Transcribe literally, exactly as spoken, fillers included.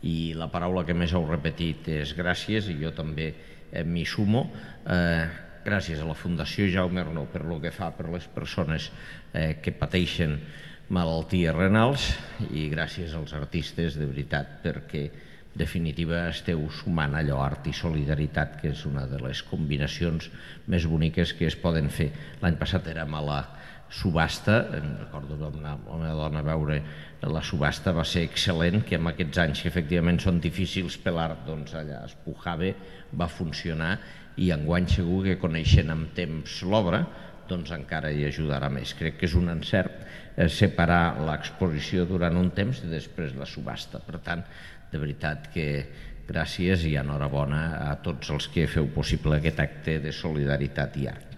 i la paraula que més heu repetit és gràcies, i jo també m'hi sumo. Gràcies a la Fundació Jaume Arnau per el que fa per les persones que pateixen malalties renals, i gràcies als artistes, de veritat, perquè en definitiva esteu sumant allò, art i solidaritat, que és una de les combinacions més boniques que es poden fer. L'any passat érem a la subhasta, em recordo amb la meva dona veure la subhasta, va ser excel·lent, que en aquests anys que efectivament són difícils per l'art, doncs allà es pujava, va funcionar, i enguany segur que coneixent amb temps l'obra, doncs encara hi ajudarà més. Crec que és un encert separar l'exposició durant un temps i després la subhasta. Per tant, de veritat que gràcies i enhorabona a tots els que feu possible aquest acte de solidaritat i art.